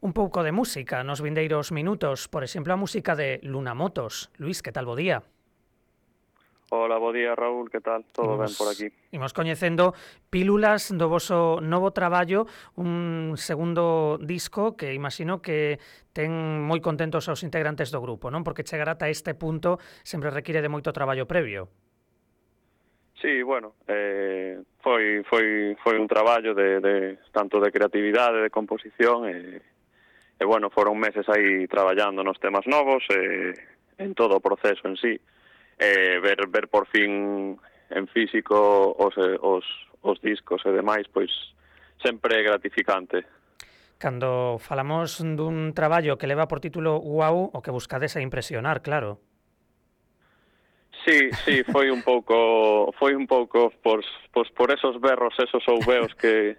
un pouco de música nos vindeiros minutos, por exemplo, a música de Lunamotos. Luís, que tal, bo día? Hola, bo día, Raúl, que tal? Todo ben por aquí? Imos coñecendo pílulas do voso novo traballo, un segundo disco que imagino que ten moi contentos aos integrantes do grupo, non? Porque chegar ata este punto sempre require de moito traballo previo. Sí, bueno, foi un traballo de tanto de creatividade, de composición e bueno, foron meses aí traballando nos temas novos en todo o proceso en sí. Ver por fin en físico os discos e demais, pois sempre é gratificante. Cando falamos dun traballo que leva por título Guau, o que buscades é impresionar, claro. Sí, foi un pouco por esos berros, esos ouveos que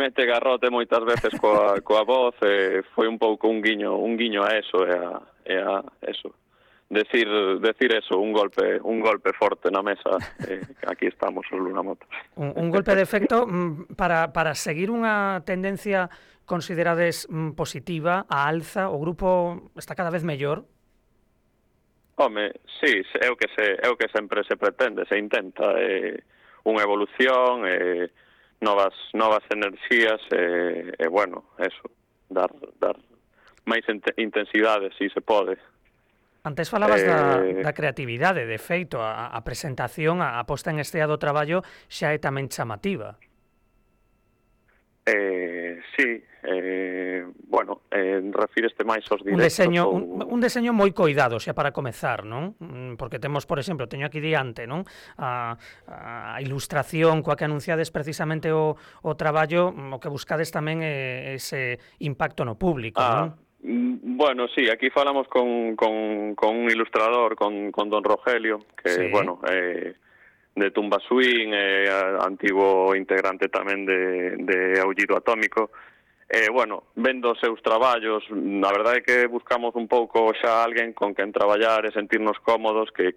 mete Garrote moitas veces coa voz, foi un pouco un guiño a eso e a eso. Decir eso, un golpe forte na mesa, aquí estamos os Lunamotos. Un golpe de efecto para seguir unha tendencia considerades positiva, a alza, o grupo está cada vez mellor? Home, sí, é o que sempre se pretende, se intenta, unha evolución, novas enerxías, e bueno, eso, dar máis intensidade, si se pode. Antes falabas da creatividade, de feito, a presentación, a posta en estea do traballo xa é tamén chamativa. Sí, bueno, refíreste máis aos directos. Un deseño moi coidado, xa para comezar, non? Porque temos, por exemplo, teño aquí diante, non? A ilustración coa que anunciades precisamente o traballo, o que buscades tamén é ese impacto no público, non? Bueno, sí, aquí falamos con un ilustrador, con don Rogelio, que, sí. Bueno, de Tumba Swing, antigo integrante tamén de Aullido Atómico. Bueno, vendo os seus traballos, a verdade é que buscamos un pouco xa alguén con quen traballar e sentirnos cómodos, que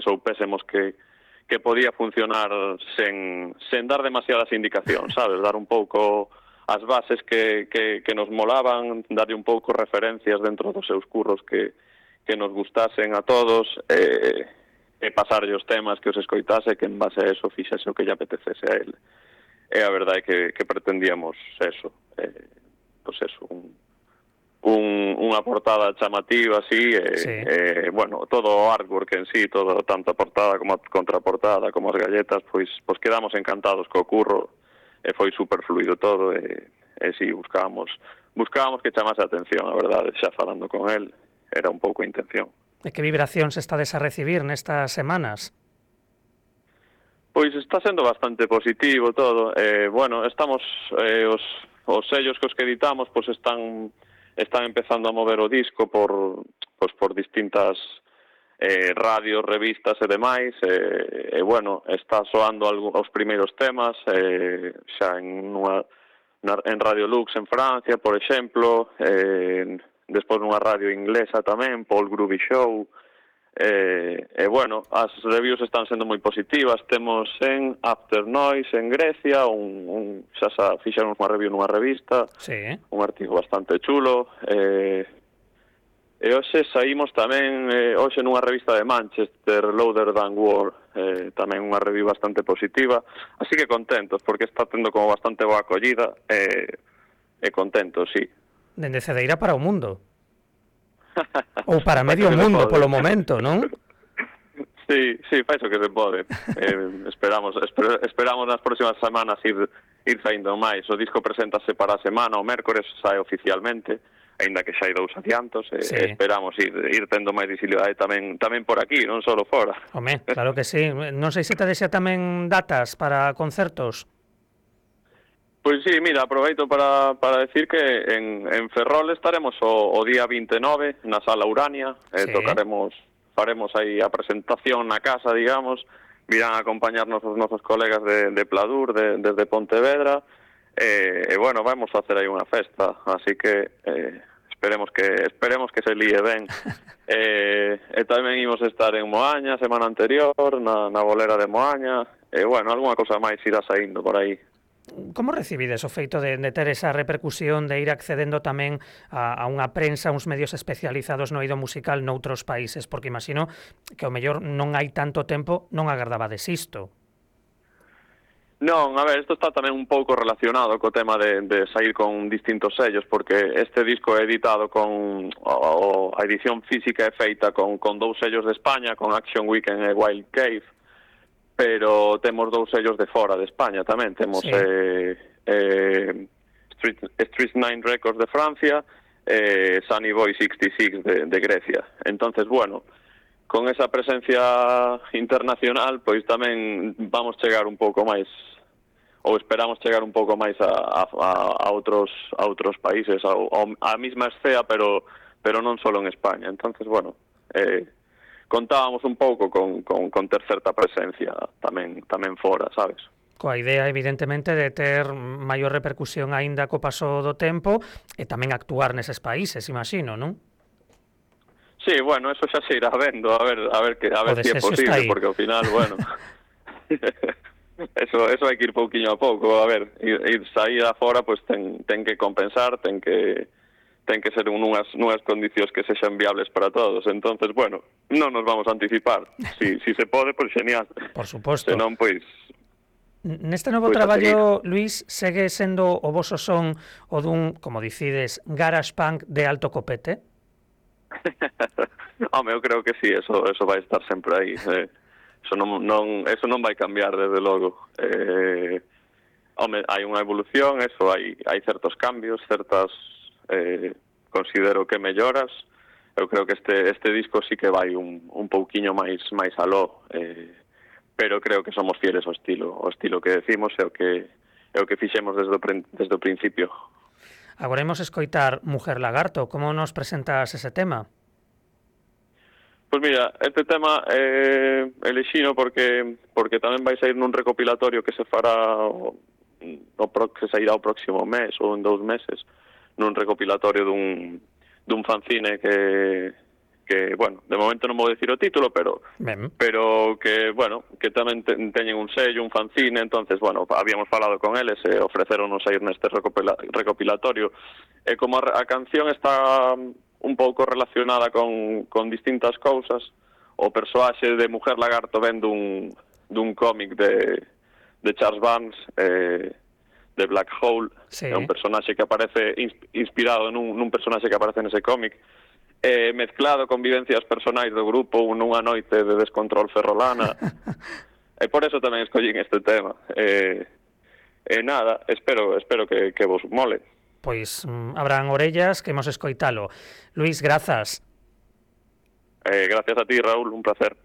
soupésemos que podía funcionar sen dar demasiadas indicacións, sabes? Dar un pouco as bases que nos molaban, darlle un pouco referencias dentro dos seus curros que nos gustasen a todos, e pasarlle os temas que os escoitase, que en base a eso fixese o que lle apetecese a él. E a verdade é que pretendíamos eso, pois eso, unha portada chamativa así, sí. Bueno, todo o artwork en sí, todo, tanto a portada como a contraportada, como as galletas, pois quedamos encantados co curro, e foi super fluido todo, e sí, buscábamos que chamase a atención, a verdade, xa falando con él, era un pouco a intención. E que vibracións estades a recibir nestas semanas? Pois está sendo bastante positivo todo, bueno, estamos, os sellos que editamos, pois están empezando a mover o disco por distintas radios, revistas e demais, e bueno, está soando os primeiros temas, xa en Radio Lux en Francia, por exemplo, despois nunha radio inglesa tamén, Paul Groovy Show, e bueno, as reviews están sendo moi positivas. Temos en After Noise en Grecia, xa fixeron unha review nunha revista, sí. Un artigo bastante chulo, e hoxe saímos tamén hoxe nunha revista de Manchester, Louder Than War, tamén unha review bastante positiva, así que contentos, porque está tendo como bastante boa acollida, e contentos, sí. Dende Cedeira para o mundo. Ou para medio mundo, polo momento, non? Sí, fai iso que se pode. Esperamos nas próximas semanas ir saindo máis. O disco preséntase para a semana, o mércores sae oficialmente, aínda que xa hai 2 adiantos, sí. Esperamos ir tendo máis visibilidade tamén por aquí, non só fora. Home, claro que sí. Non sei se te desea tamén datas para concertos. Pois sí, mira, aproveito para decir que en Ferrol estaremos o día 29 na Sala Urania, sí. Faremos aí a presentación na casa, digamos, virán a acompañarnos os nosos colegas de Pladur, desde Pontevedra, e bueno, vamos a facer aí unha festa, así que esperemos que se líe ben. E tamén imos estar en Moaña semana anterior, na bolera de Moaña, e bueno, algunha cosa máis irá saindo por aí. Como recibides o feito de ter esa repercusión, de ir accedendo tamén a unha prensa, uns medios especializados no eido musical noutros países? Porque imagino que ao mellor non hai tanto tempo, non agardabades isto. Non, a ver, isto está tamén un pouco relacionado co tema de sair con distintos sellos, porque este disco é editado con a edición física é feita con 2 sellos de España, con Action Weekend e Wild Cave, pero temos 2 sellos de fora de España tamén. Temos Sí. Street 9 Records de Francia e Sunny Boy 66 de Grecia. Entonces, bueno, con esa presencia internacional, pois tamén vamos chegar un pouco máis, ou esperamos chegar un pouco máis a outros países, a mesma escena, pero non solo en España. Entonces, bueno, contábamos un pouco con ter certa presencia tamén fora, sabes? Coa idea, evidentemente, de ter maior repercusión aínda co paso do tempo e tamén actuar neses países, imagino, non? Sí, bueno, eso xa se irá vendo, a ver se é posible, porque ao final, bueno, eso hai que ir pouquiño a pouco, a ver, ir sair afora, pois ten que compensar, ten que ser nunhas condicións que sexan viables para todos. Entonces, bueno, non nos vamos a anticipar. Si se pode, pois genial. Por suposto. Senón, pois... Neste novo traballo, Luís, segue sendo o voso son o dun, como dicides, garage punk de alto copete? Home, eu creo que sí, eso vai estar sempre aí. Eso non vai cambiar, desde logo. Home, hai unha evolución, eso, hai certos cambios, certas... considero que melloras. Eu creo que este disco sí que vai un pouquiño máis aló, pero creo que somos fieles ao estilo que decimos e o que fixemos desde o principio. Agora imos escoitar Mujer Lagarto. Como nos presentas ese tema? Pois mira, este tema elexino porque tamén vai sair nun recopilatorio que se fará que sairá o próximo mes ou en 2 meses, nun recopilatorio dun fanzine que bueno, de momento non vou dicir o título, pero que, bueno, que tamén teñen un sello, un fanzine. Entonces, bueno, habíamos falado con eles e ofreceronos a ir neste recopilatorio, e como a canción está un pouco relacionada con distintas cousas, o persoaxe de Mujer Lagarto ven dun cómic de Charles Vance, de Black Hole. Sí. É un personaxe que aparece inspirado nun personaxe que aparece nese cómic, mezclado con vivencias personais do grupo nunha noite de descontrol ferrolana. E por eso tamén escollín este tema. Nada, espero que vos mole. Pois habrán orellas que hemos escoitalo. Luís, grazas. Gracias a ti, Raúl, un placer.